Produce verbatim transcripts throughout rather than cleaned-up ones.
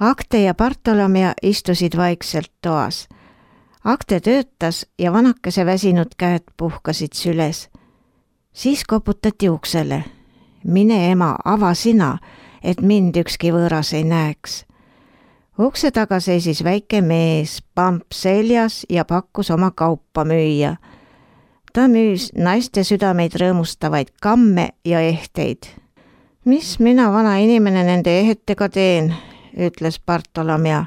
Akte ja Bartolomea istusid vaikselt toas. Akte töötas ja vanakese väsinud käed puhkasid süles. Siis koputati uksele. Mine ema, ava sina, et mind ükski võõras ei näeks. Ukse taga seisis väike mees, pamp seljas ja pakkus oma kaupa müüa. Ta müüs naiste südameid rõõmustavaid kamme ja ehteid. Mis mina vana inimene nende ehetega teen, ütles Bartolomea.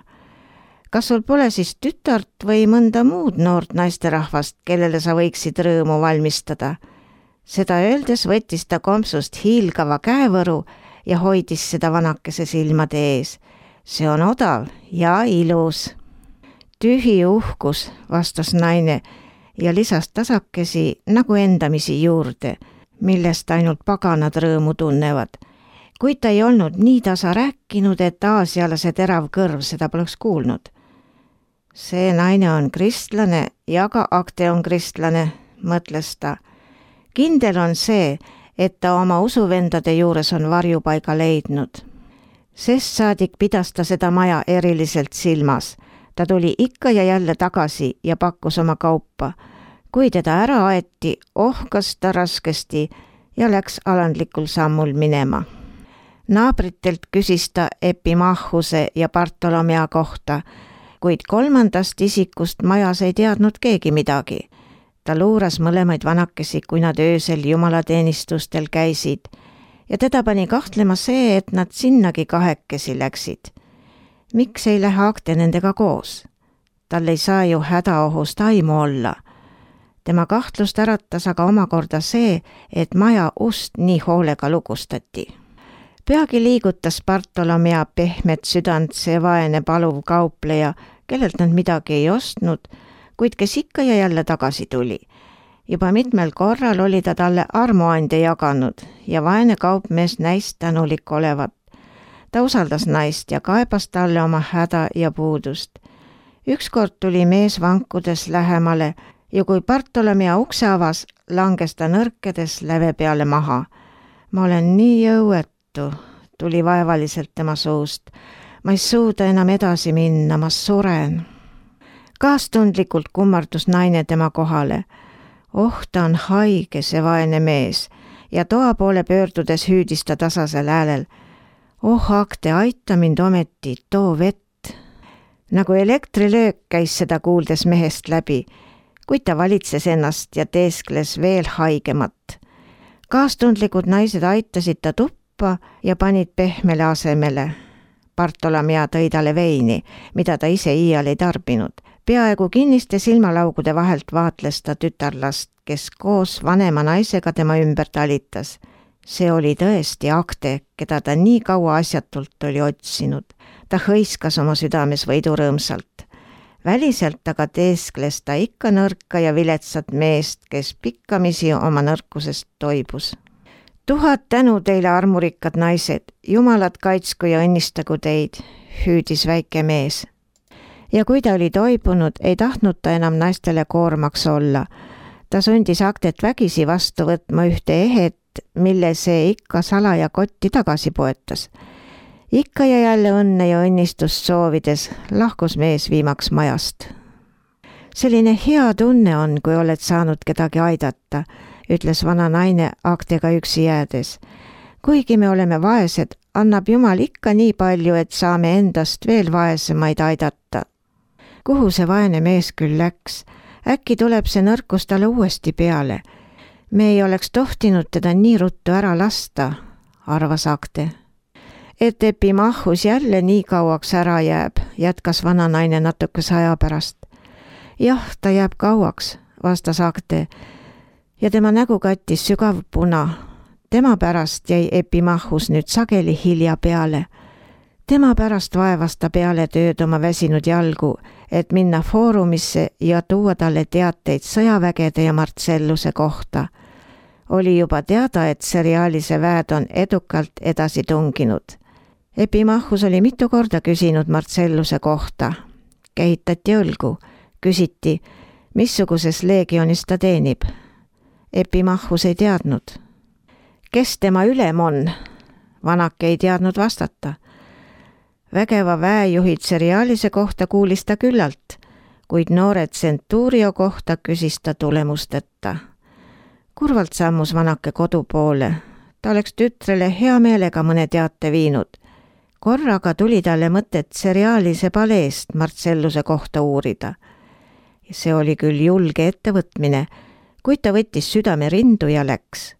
Kas sul pole siis tütart või mõnda muud noort naisterahvast, kellele sa võiksid rõõmu valmistada? Seda öeldes võttis ta kompsust hiilgava käevõru ja hoidis seda vanakese silmade ees. See on odav ja ilus. Tühi uhkus, vastas naine ja lisas tasakesi nagu endamisi juurde, millest ainult paganad rõõmu tunnevad. Kuid ta ei olnud nii tasa rääkinud, et aasialase terav kõrv seda poleks kuulnud. See naine on kristlane ja ka Akte on kristlane, mõtles ta. Kindel on see, et ta oma usuvendade juures on varjupaiga leidnud. Sest saadik pidas ta seda maja eriliselt silmas. Ta tuli ikka ja jälle tagasi ja pakkus oma kaupa. Kui teda ära aeti, ohkas ta raskesti ja läks alandlikul sammul minema. Naabritelt küsis ta Epimachuse ja Bartolomea kohta, kuid kolmandast isikust majas ei teadnud keegi midagi. Ta luuras mõlemaid vanakesi, kui nad öösel jumalateenistustel käisid ja teda pani kahtlema see, et nad sinnagi kahekesi läksid. Miks ei lähe Akte nendega koos? Tal ei saa ju hädaohust aimu olla. Tema kahtlust äratas aga omakorda see, et maja ust nii hoolega lugustati. Peagi liigutas Bartolomea pehmet südant see vaene paluv kaupleja, kellelt nad midagi ei ostnud, kuid kes ikka ja jälle tagasi tuli. Juba mitmel korral oli ta talle armuande jaganud ja vaene kaupmees näis tänulik olevat. Ta usaldas naist ja kaebas talle oma häda ja puudust. Ükskord tuli mees vankudes lähemale ja kui Bartolomea ukse avas, langes ta nõrkedes läve peale maha. Ma olen nii jõuetu, tuli vaevaliselt tema suust. Ma ei suuda enam edasi minna, ma suren. Kaastundlikult kummardus naine tema kohale. Oh, ta on haige, see vaene mees, ja toa poole pöördudes hüüdis ta tasasel häälel. Oh, Akte, aita mind ometi, too vett. Nagu elektrilöök käis seda kuuldes mehest läbi, kuid ta valitses ennast ja teeskles veel haigemat. Kaastundlikud naised aitasid ta tuppa ja panid pehmele asemele. Bartolomea tõi talle veini, mida ta ise iial ei tarbinud. Peaaegu kinniste silmalaugude vahelt vaatles ta tütarlast, kes koos vanema naisega tema ümber talitas. See oli tõesti Akte, keda ta nii kaua asjatult oli otsinud. Ta hõiskas oma südames võidurõõmsalt. Väliselt aga teeskles ta ikka nõrka ja viletsat meest, kes pikkamisi oma nõrkusest toibus. Tuhat tänu teile, armurikkad naised, jumalad kaitsku ja õnnistagu teid, hüüdis väike mees. Ja kui ta oli toibunud, ei tahtnud ta enam naistele koormaks olla. Ta sundis Aktet vägisi vastu võtma ühte ehet, mille see ikka salaja kotti tagasi poetas. Ikka ja jälle õnne ja õnnistust soovides lahkus mees viimaks majast. Selline hea tunne on, kui oled saanud kedagi aidata, ütles vana naine Aktega üksi jäädes. Kuigi me oleme vaesed, annab Jumal ikka nii palju, et saame endast veel vaesemaid aidata. Kuhu see vaene mees küll läks? Äkki tuleb see nõrkus talle uuesti peale. Me ei oleks tohtinud teda nii ruttu ära lasta, arvas Akte. Et Epimachus jälle nii kauaks ära jääb, jätkas vana naine natukese aja pärast. Jah, ta jääb kauaks, vastas Akte, ja tema nägu kattis sügav puna. Tema pärast jäi Epimachus nüüd sageli hilja peale. Tema pärast vaevas ta peale tööd oma väsinud jalgu, et minna foorumisse ja tuua talle teateid sõjavägede ja Marcelluse kohta. Oli juba teada, et seriaalise väed on edukalt edasi tunginud. Epimachus oli mitu korda küsinud Marcelluse kohta. Kehitati õlgu. Küsiti, missuguses leegionis ta teenib. Epimachus ei teadnud. Kes tema ülem on? Vanake ei teadnud vastata. Vägeva väejuhid seriaalise kohta kuulis ta küllalt, kuid noore Centurio kohta küsis ta tulemusteta. Kurvalt sammus vanake kodu poole. Ta oleks tütrele hea meelega mõne teate viinud. Korraga tuli talle mõtet seriaalise paleest Marcelluse kohta uurida. See oli küll julge ettevõtmine, kuid ta võttis südame rindu ja läks.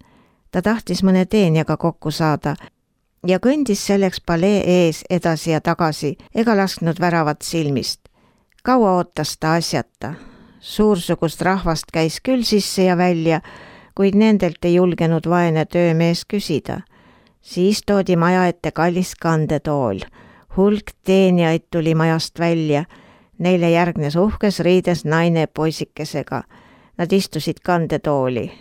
Ta tahtis mõne teenjaga kokku saada ja kõndis selleks palee ees edasi ja tagasi ega lasknud väravat silmist. Kaua ootas ta asjata. Suursugust rahvast käis küll sisse ja välja, kuid nendelt ei julgenud vaene töömees küsida. Siis toodi maja ette kallis kandetool. Hulk teenjaid tuli majast välja. Neile järgnes uhkes riides naine poisikesega. Nad istusid kandetooli.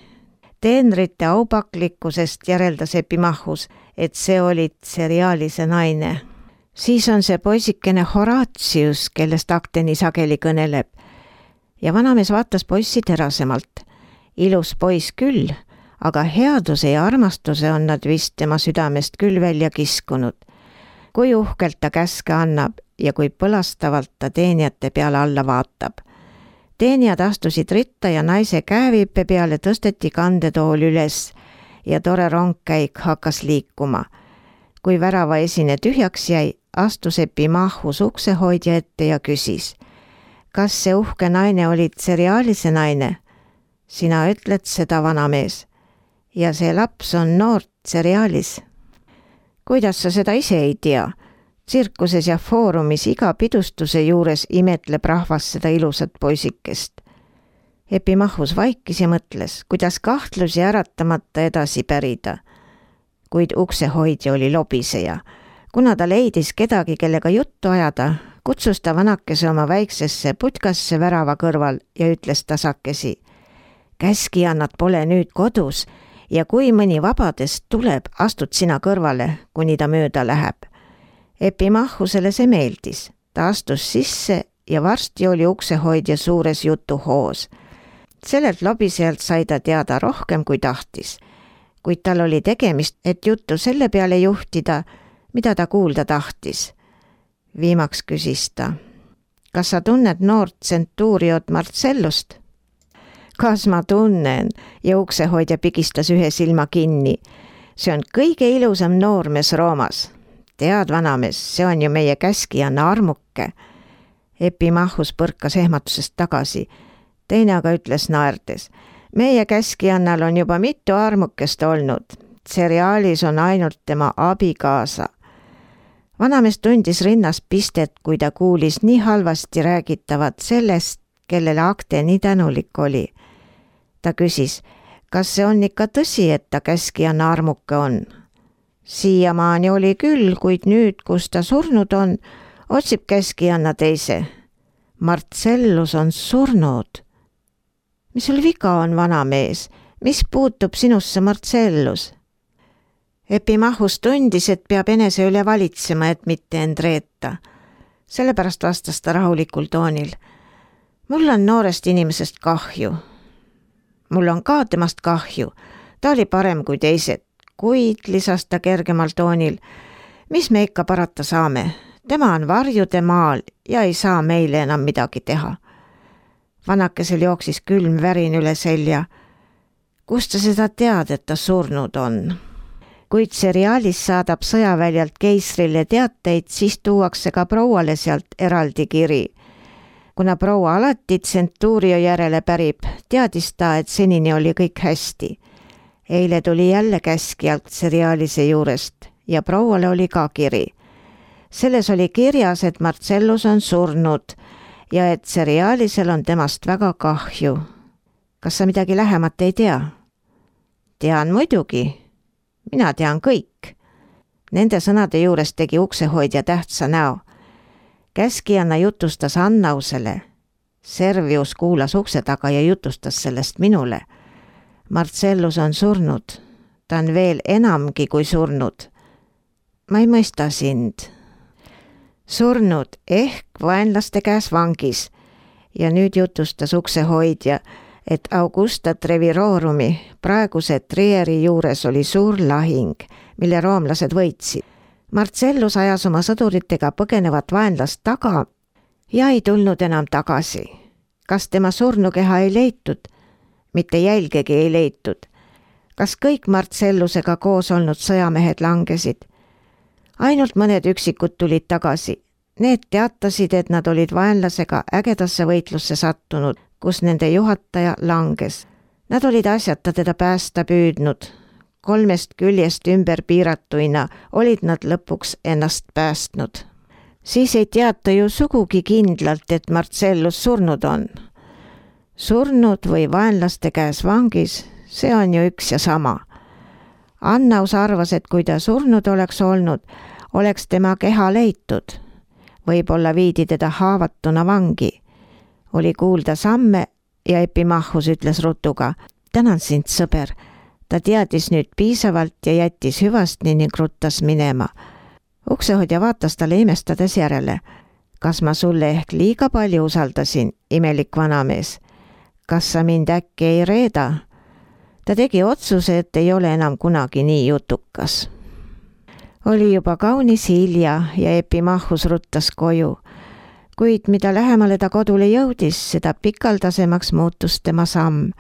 Teenrite aupaklikkusest järeldas Epimachus, et see oli seriaalise naine. Siis on see poisikene Horatius, kellest akte nii sageli kõneleb. Ja vanamees vaatas poissi terasemalt. Ilus poiss küll, aga headuse ja armastuse on nad vist tema südamest küll välja kiskunud. Kui uhkelt ta käske annab ja kui põlastavalt ta teenijate peale alla vaatab. Teenijad astusid ritta ja naise käeviipe peale tõsteti kandetool üles ja tore rongkäik hakkas liikuma. Kui värava esine tühjaks jäi, astus Epimachus uksehoidja ette ja küsis. Kas see uhke naine oli seriaalise naine? Sina ütled seda, vanamees. Ja see laps on noort seriaalis. Kuidas sa seda ise ei tea? Tsirkuses ja foorumis iga pidustuse juures imetleb rahvas seda ilusat poisikest. Epimachus vaikis ja mõtles, kuidas kahtlusi äratamata edasi pärida. Kuid uksehoidja oli lobiseja. Kuna ta leidis kedagi, kellega juttu ajada, kutsus ta vanakese oma väiksesse putkasse värava kõrval ja ütles tasakesi. Käskijannad pole nüüd kodus ja kui mõni vabadest tuleb, astud sina kõrvale, kuni ta mööda läheb. Epimachusele see meeldis. Ta astus sisse ja varsti oli uksehoidja suures jutuhoos. Sellelt lobisejalt sai ta teada rohkem kui tahtis, kuid tal oli tegemist, et juttu selle peale juhtida, mida ta kuulda tahtis. Viimaks küsis ta. Kas sa tunned noort Centuriot Marcellust? Kas ma tunnen? Ja uksehoidja pigistas ühe silma kinni. See on kõige ilusam noormees Roomas. Tead, vanamees, see on ju meie käskijanna armuke. Epimachus põrkas ehmatusest tagasi. Teine aga ütles naerdes. Meie käskijannal on juba mitu armukest olnud. Seriaalis on ainult tema abikaasa. Vanamees tundis rinnas pistet, kui ta kuulis nii halvasti räägitavat sellest, kellele akte nii tänulik oli. Ta küsis, kas see on ikka tõsi, et ta käskijanna armuke on? Siiamaani oli küll, kuid nüüd, kus ta surnud on, otsib käskijanna teise. Marcellus on surnud. Mis sul viga on, vanamees? Mis puutub sinusse, Marcellus? Epimachus tundis, et peab enese üle valitsema, et mitte end reeta. Sellepärast vastas ta rahulikul toonil. Mul on noorest inimesest kahju. Mul on ka temast kahju. Ta oli parem kui teised. Kuid, lisas ta kergemal toonil, mis me ikka parata saame? Tema on varjude maal ja ei saa meile enam midagi teha. Vanakesel jooksis külm värin üle selja. Kust sa seda tead, et ta surnud on? Kuid seriaalis saadab sõjaväljalt keisrile teateid, siis tuuakse ka prouale sealt eraldi kiri. Kuna proua alati Centurio järele pärib, teadis ta, et senini oli kõik hästi. Eile tuli jälle käskjalt seriaalise juurest ja prouale oli ka kiri. Selles oli kirjas, et Marcellus on surnud ja et seriaalisel on temast väga kahju. Kas sa midagi lähemat ei tea? Tean muidugi. Mina tean kõik. Nende sõnade juures tegi uksehoidja tähtsa näo. Käskijanna jutustas Annausele. Servius kuulas ukse taga ja jutustas sellest minule. Marcellus on surnud. Ta on veel enamgi kui surnud. Ma ei mõista sind. Surnud ehk vaenlaste käes vangis. Ja nüüd jutustas uksehoidja, et Augusta Trevirorumi praeguse Trieri juures oli suur lahing, mille roomlased võitsid. Marcellus ajas oma sõduritega põgenevat vaenlast taga ja ei tulnud enam tagasi. Kas tema surnukeha ei leitud? Mitte jälgegi ei leitud. Kas kõik Marcellusega koos olnud sõjamehed langesid? Ainult mõned üksikud tulid tagasi. Need teatasid, et nad olid vaenlasega ägedasse võitlusse sattunud, kus nende juhataja langes. Nad olid asjata teda päästa püüdnud. Kolmest küljest ümber piiratuina olid nad lõpuks ennast päästnud. Siis ei teata ju sugugi kindlalt, et Marcellus surnud on. Surnud või vaenlaste käes vangis, see on ju üks ja sama. Annaus arvas, et kui ta surnud oleks olnud, oleks tema keha leitud. Võib-olla viidi teda haavatuna vangi. Oli kuulda samme ja Epimachus ütles rutuga: tänan sind, sõber. Ta teadis nüüd piisavalt ja jättis hüvastni ning ruttas minema. Uksehoidja vaatas talle imestades järele. Kas ma sulle ehk liiga palju usaldasin, imelik vanamees? Kas sa mind äkki ei reeda? Ta tegi otsuse, et ei ole enam kunagi nii jutukas. Oli juba kaunis hilja ja Epimachus ruttas koju. Kuid mida lähemale ta kodule jõudis, seda pikaldasemaks muutus tema samm.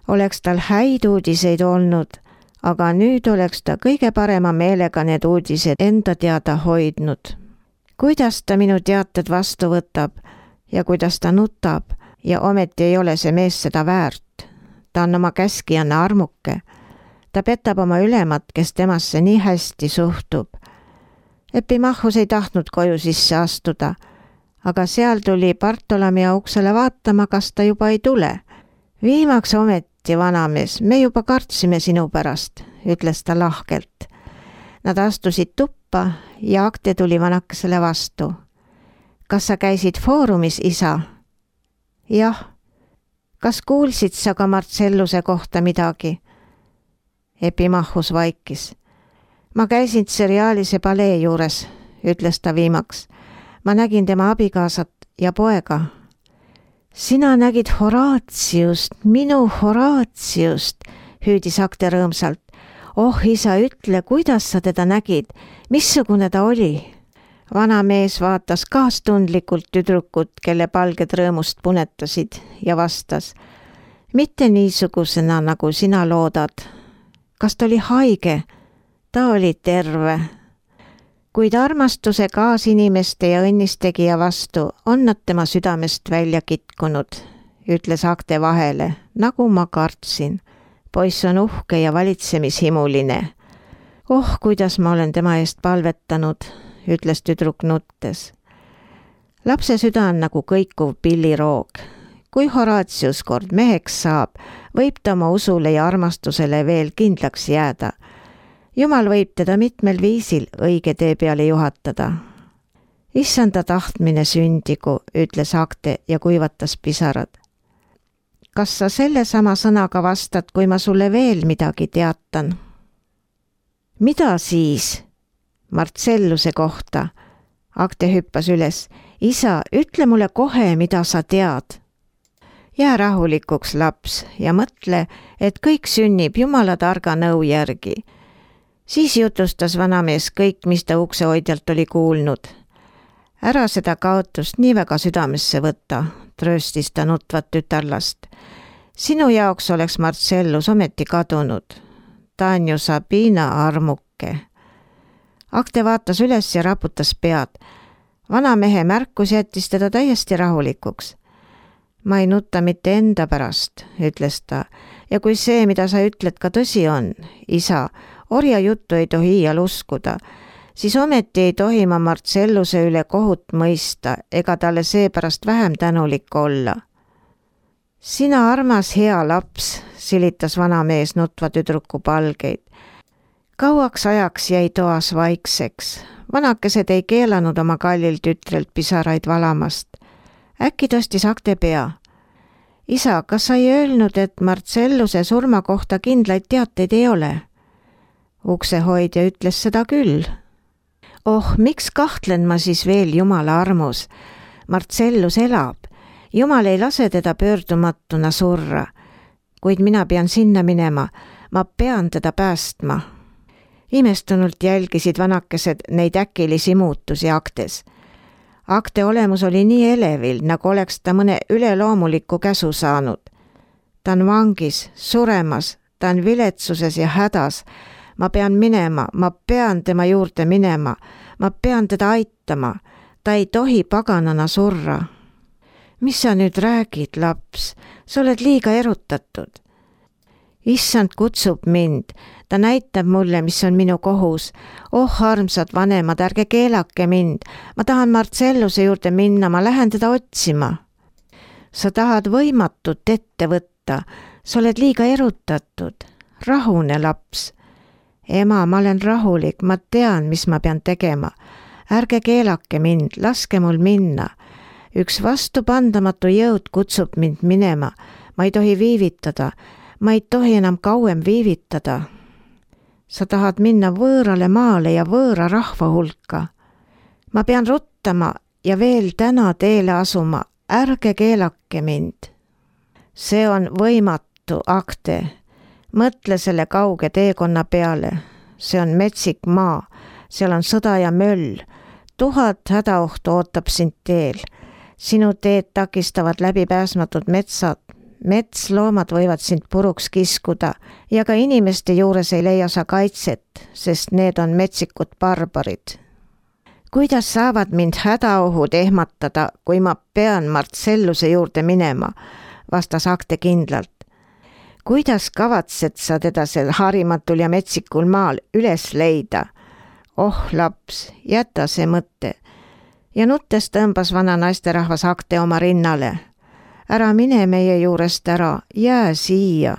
Oleks tal häid uudiseid olnud, aga nüüd oleks ta kõige parema meelega need uudised enda teada hoidnud. Kuidas ta minu teated vastu võtab ja kuidas ta nutab ja ometi ei ole see mees seda väärt. Ta on oma käskijanna armuke. Ta petab oma ülemat, kes temasse nii hästi suhtub. Epimachus ei tahtnud koju sisse astuda, aga seal tuli Bartolomea uksele vaatama, kas ta juba ei tule. Viimaks ometi, vanamees, me juba kartsime sinu pärast, ütles ta lahkelt. Nad astusid tuppa ja Akte tuli vanakesele vastu. Kas sa käisid foorumis, isa? Jah. Kas kuulsid sa ka Marcelluse kohta midagi? Epimachus vaikis. Ma käisin seriaalise palee juures, ütles ta viimaks. Ma nägin tema abikaasat ja poega. Sina nägid Horatiust, minu Horatiust, hüüdis Akte rõõmsalt. Oh, isa, ütle, kuidas sa teda nägid, missugune ta oli? Vana mees vaatas kaastundlikult tüdrukut, kelle palged rõõmust punetasid ja vastas. Mitte niisugusena, nagu sina loodad. Kas ta oli haige? Ta oli terve. Kuid armastuse kaasinimeste ja õnnistegija vastu on nad tema südamest välja kitkunud, ütles Akte vahele, nagu ma kartsin. Poiss on uhke ja valitsemishimuline. Oh, kuidas ma olen tema eest palvetanud, ütles tüdruk nuttes. Lapse süda on nagu kõikuv pilliroog. Kui Horatius kord meheks saab, võib ta oma usule ja armastusele veel kindlaks jääda. Jumal võib teda mitmel viisil õige tee peale juhatada. Issanda tahtmine sündigu, ütles Akte ja kuivatas pisarad. Kas sa selle sama sõnaga vastad, kui ma sulle veel midagi teatan? Mida siis? Marcelluse kohta. Akte hüppas üles. Isa, ütle mulle kohe, mida sa tead. Jää rahulikuks, laps, ja mõtle, et kõik sünnib Jumala targa nõu järgi. Siis jutustas vanamees kõik, mis ta uksehoidjalt oli kuulnud. Ära seda kaotust nii väga südamesse võtta, trööstis ta nutvat tütarlast. Sinu jaoks oleks Marcellus ometi kadunud. Ta on ju Sabina armuke. Akte vaatas üles ja raputas pead. Vanamehe märkus jättis teda täiesti rahulikuks. Ma ei nutta mitte enda pärast, ütles ta, ja kui see, mida sa ütled, ka tõsi on, isa, orja juttu ei tohi iial uskuda, siis ometi ei tohi ma Marcelluse üle kohut mõista ega talle seepärast vähem tänulik olla. Sina armas hea laps, silitas vanamees nutva tüdruku palgeid. Kauaks ajaks jäi toas vaikseks. Vanakesed ei keelanud oma kallil tütrelt pisaraid valamast. Äkki tõstis Akte pea. Isa, kas sa ei öelnud, et Marcelluse surma kohta kindlaid teateid ei ole? Uksehoidja ütles seda küll. Oh, miks kahtlen ma siis veel Jumala armus? Marcellus elab. Jumal ei lase teda pöördumatuna surra. Kuid mina pean sinna minema. Ma pean teda päästma. Imestunult jälgisid vanakesed neid äkilisi muutusi Aktes. Akte olemus oli nii elevil, nagu oleks ta mõne üleloomuliku käsu saanud. Ta on vangis, suremas, ta on viletsuses ja hädas. Ma pean minema, ma pean tema juurde minema, ma pean teda aitama. Ta ei tohi paganana surra. Mis sa nüüd räägid, laps? Sa oled liiga erutatud. Issand kutsub mind. Ta näitab mulle, mis on minu kohus. Oh, armsad vanemad, ärge keelake mind. Ma tahan Marcelluse juurde minna, ma lähen teda otsima. Sa tahad võimatut ette võtta. Sa oled liiga erutatud. Rahune, laps. Ema, ma olen rahulik, ma tean, mis ma pean tegema. Ärge keelake mind, laske mul minna. Üks vastupandamatu jõud kutsub mind minema. Ma ei tohi viivitada. Ma ei tohi enam kauem viivitada. Sa tahad minna võõrale maale ja võõra rahva hulka. Ma pean ruttama ja veel täna teele asuma. Ärge keelake mind. See on võimatu, Akte. Mõtle selle kauge teekonna peale. See on metsik maa. Seal on sõda ja möll. Tuhat hädaohtu ootab sind teel. Sinu teed takistavad läbipääsmatud metsad. Metsloomad võivad sind puruks kiskuda ja ka inimeste juures ei leia sa kaitset, sest need on metsikud barbarid. Kuidas saavad mind hädaohud ehmatada, kui ma pean Marcelluse juurde minema, vastas Akte kindlalt. Kuidas kavatsed sa teda sel harimatul ja metsikul maal üles leida? Oh, laps, jäta see mõte. Ja nuttes tõmbas vana naisterahvas Akte oma rinnale. Ära mine meie juurest ära, jää siia.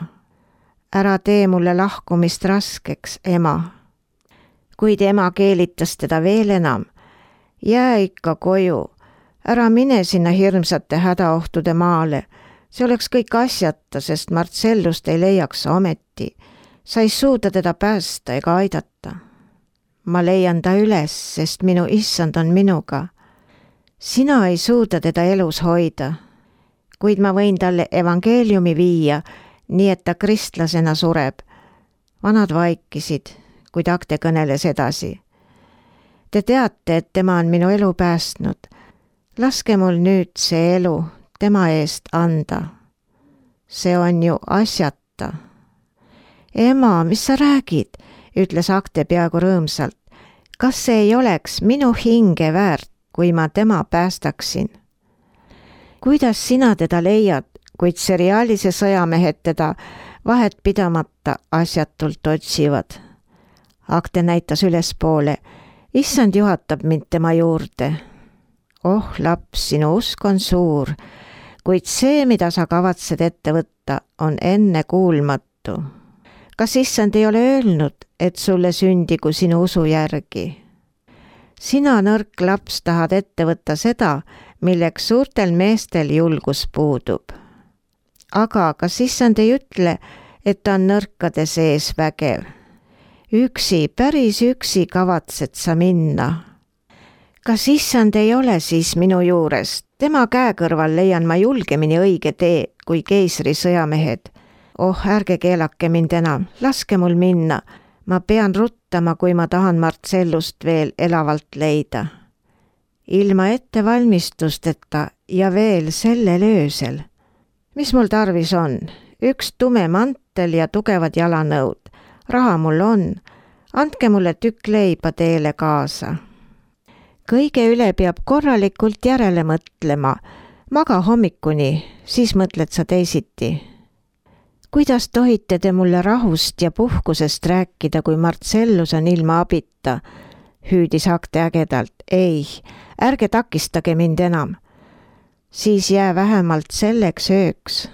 Ära tee mulle lahkumist raskeks, ema. Kuid ema keelitas teda veel enam. Jää ikka koju. Ära mine sinna hirmsate hädaohtude maale. See oleks kõik asjata, sest Marcellust ei leiaks ometi. Sa ei suuda teda päästa ega aidata. Ma leian ta üles, sest minu issand on minuga. Sina ei suuda teda elus hoida. Kuid ma võin talle evangeeliumi viia, nii et ta kristlasena sureb. Vanad vaikisid, kuid Akte kõneles edasi. Te teate, et tema on minu elu päästnud. Laske mul nüüd see elu tema eest anda. See on ju asjata. Ema, mis sa räägid, ütles Akte peaaegu rõõmsalt. Kas see ei oleks minu hinge väärt, kui ma tema päästaksin? Kuidas sina teda leiad, kuid seriaalise sõjamehed teda vahet pidamata asjatult otsivad? Akte näitas ülespoole. Issand juhatab mind tema juurde. Oh, laps, sinu usk on suur, kuid see, mida sa kavatsed ette võtta, on enne kuulmatu. Kas issand ei ole öelnud, et sulle sündigu sinu usu järgi? Sina, nõrk laps, tahad ette võtta seda, milleks suurtel meestel julgus puudub. Aga kas issand ei ütle, et ta on nõrkade sees vägev? Üksi, päris üksi kavatsed sa minna. Kas issand ei ole siis minu juures? Tema käe kõrval leian ma julgemini õige tee kui keisri sõjamehed. Oh, ärge keelake mind enam, laske mul minna. Ma pean ruttama, kui ma tahan Marcellust veel elavalt leida. Ilma ettevalmistusteta ja veel sellel öösel. Mis mul tarvis on? Üks tume mantel ja tugevad jalanõud. Raha mul on. Andke mulle tükk leiba teele kaasa. Kõige üle peab korralikult järele mõtlema. Maga hommikuni, siis mõtled sa teisiti. Kuidas tohite te mulle rahust ja puhkusest rääkida, kui Marcellus on ilma abita? Hüüdis Akte ägedalt. Ei, ärge takistage mind enam. Siis jää vähemalt selleks ööks.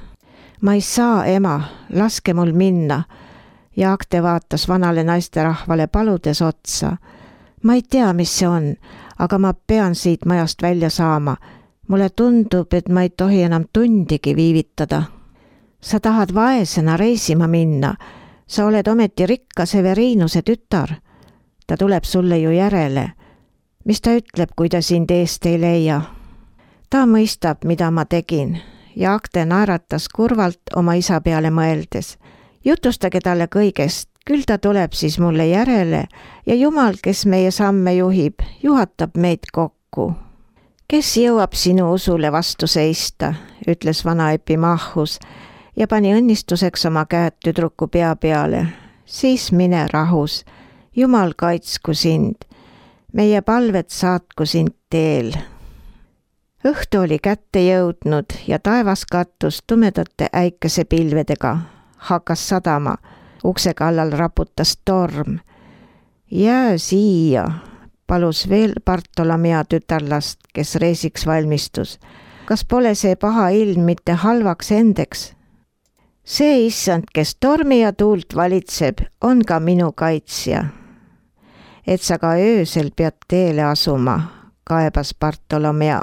Ma ei saa, ema, laske mul minna. Ja Akte vaatas vanale naisterahvale paludes otsa. Ma ei tea, mis see on, aga ma pean siit majast välja saama. Mulle tundub, et ma ei tohi enam tundigi viivitada. Sa tahad vaesena reisima minna. Sa oled ometi rikka Severinuse tütar. Ta tuleb sulle ju järele. Mis ta ütleb, kui ta sind eest ei leia? Ta mõistab, mida ma tegin. Ja Akte naeratas kurvalt oma isa peale mõeldes. Jutustage talle kõigest, Küll ta tuleb siis mulle järele ja Jumal, kes meie samme juhib, juhatab meid kokku. Kes jõuab sinu usule vastu seista, ütles vana Epimachus ja pani õnnistuseks oma käed tüdruku pea peale. Siis mine rahus, Jumal kaitsku sind, meie palved saatku sind teel. Õhtu oli kätte jõudnud ja taevas kattus tumedate äikesepilvedega. Hakkas sadama, ukse kallal raputas torm. Jää siia, palus veel Bartolomea tütarlast, kes reisiks valmistus. Kas pole see paha ilm mitte halvaks endeks? See issand, kes tormi ja tuult valitseb, on ka minu kaitsja. Et sa ka öösel pead teele asuma, kaebas Bartolomea.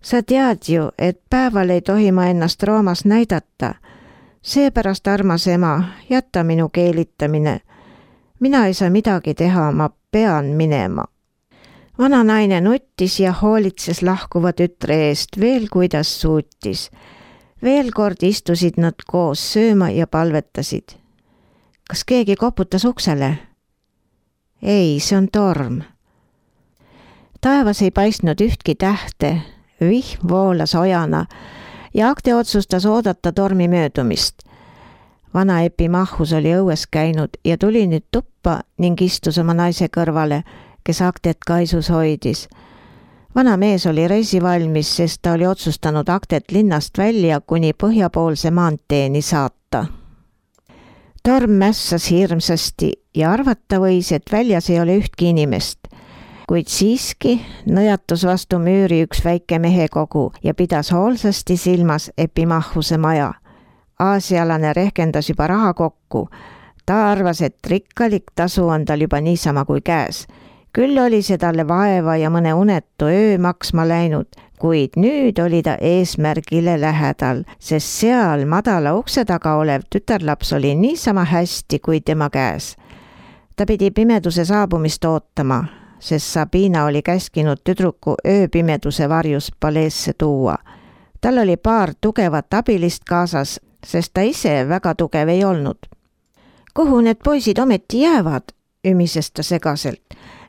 Sa tead ju, et päeval ei tohi ma ennast Roomas näidata. Seepärast, armas ema, jätta minu keelitamine. Mina ei saa midagi teha, ma pean minema. Vana naine nuttis ja hoolitses lahkuva tütre eest veel kuidas suutis. Veel kord istusid nad koos sööma ja palvetasid. Kas keegi koputas uksele? Ei, see on torm. Taevas ei paistnud ühtki tähte, vihm voolas ojana ja Akte otsustas oodata tormi möödumist. Vana Epimachus oli õues käinud ja tuli nüüd tuppa ning istus oma naise kõrvale, kes Aktet kaisus hoidis. Vana mees oli reisivalmis, sest ta oli otsustanud Aktet linnast välja kuni põhjapoolse maanteeni saata. Torm mässas hirmsasti ja arvata võis, et väljas ei ole ühtki inimest. Kuid siiski nõjatus vastu müüri üks väike mehekogu ja pidas hoolsasti silmas Epimachuse maja. Aasialane rehkendas juba raha kokku. Ta arvas, et rikkalik tasu on tal juba niisama kui käes. Küll oli see talle vaeva ja mõne unetu öö maksma läinud, kuid nüüd oli ta eesmärgile lähedal, sest seal madala ukse taga olev tütarlaps oli niisama hästi kui tema käes. Ta pidi pimeduse saabumist ootama, sest Sabina oli käskinud tüdruku ööpimeduse varjus paleesse tuua. Tal oli paar tugevat abilist kaasas, sest ta ise väga tugev ei olnud. Kuhu need poisid ometi jäävad, ümises ta segaselt.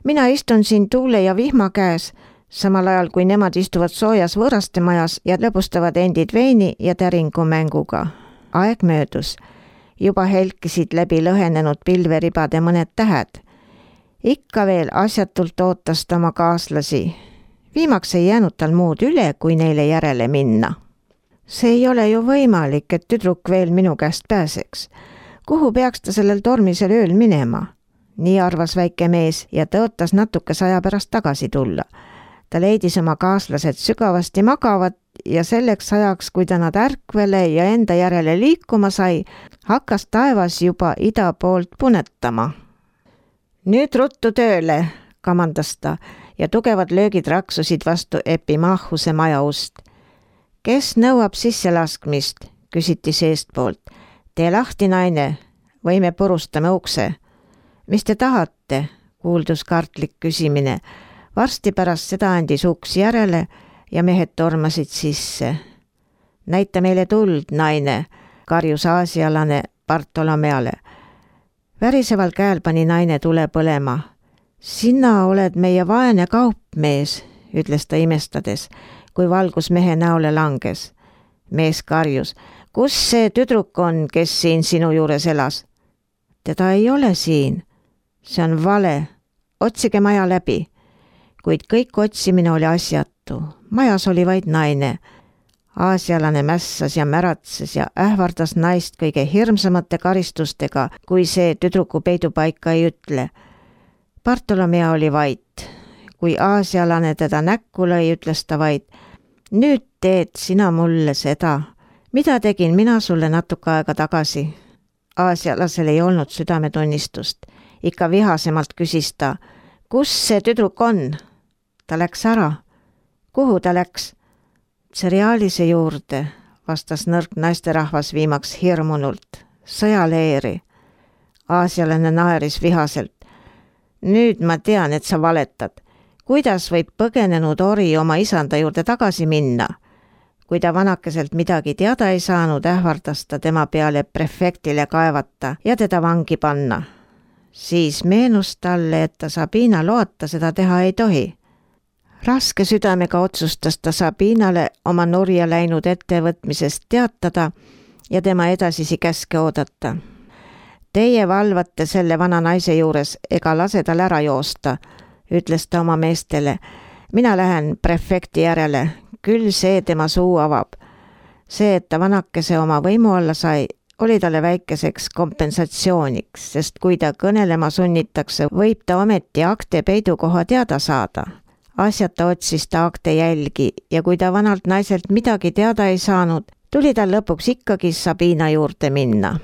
Mina istun siin tuule ja vihma käes, samal ajal kui nemad istuvad soojas võõraste majas ja lõbustavad endid veini ja täringumänguga. Aeg möödus. Juba helkisid läbi lõhenenud pilveribade mõned tähed. Ikka veel asjatult ootas ta oma kaaslasi. Viimaks ei jäänud tal muud üle, kui neile järele minna. See ei ole ju võimalik, et tüdruk veel minu käest pääseks. Kuhu peaks ta sellel tormisel ööl minema? Nii arvas väike mees ja tõotas natukese aja pärast tagasi tulla. Ta leidis oma kaaslased sügavasti magavad ja selleks ajaks, kui ta nad ärkvele ja enda järele liikuma sai, hakkas taevas juba ida poolt punetama. Nüüd ruttu tööle, kamandas ta ja tugevad löögid raksusid vastu Epimachuse maja ust. Kes nõuab sisselaskmist, küsiti seestpoolt. Tee lahti, naine, või me purustame ukse. Mis te tahate, kuuldus kartlik küsimine. Varsti pärast seda andis uks järele ja mehed tormasid sisse. Näita meile tuld, naine, karjus aasialane Bartolomeale. Väriseval käel pani naine tule põlema. Sina oled meie vaene kaupmees, ütles ta imestades, kui valgus mehe näole langes. Mees karjus. Kus see tüdruk on, kes siin sinu juures elas? Teda ei ole siin. See on vale. Otsige maja läbi. Kuid kõik otsimine oli asjatu. Majas oli vaid naine. Aasialane mässas ja märatses ja ähvardas naist kõige hirmsamate karistustega, kui see tüdruku peidupaika ei ütle. Bartolomea oli vait. Kui aasialane teda näkku lõi, ütles ta vaid, nüüd teed sina mulle seda. Mida tegin mina sulle natuke aega tagasi? Aasialasel ei olnud südametunnistust. Ikka vihasemalt küsis ta, kus see tüdruk on? Ta läks ära. Kuhu ta läks? Tsereaalise juurde, vastas nõrk naisterahvas viimaks hirmunult. Sõjaleeri. Aasialane naeris vihaselt. Nüüd ma tean, et sa valetad. Kuidas võib põgenenud ori oma isanda juurde tagasi minna? kui ta vanakeselt midagi teada ei saanud, ähvardas ta tema peale prefektile kaevata ja teda vangi panna. Siis meenus talle, et ta Sabina loata seda teha ei tohi. Raske südamega otsustas ta Sabinale oma nurja läinud ettevõtmisest teatada ja tema edasisi käske oodata. Teie valvate selle vana naise juures ega lase tal ära joosta, ütles ta oma meestele. Mina lähen prefekti järele, küll see tema suu avab. See, et ta vanakese oma võimu alla sai, oli talle väikeseks kompensatsiooniks, sest kui ta kõnelema sunnitakse, võib ta ometi akte peidukoha teada saada. Asjata otsis ta akte jälgi ja kui ta vanalt naiselt midagi teada ei saanud, tuli tal lõpuks ikkagi Sabina juurde minna.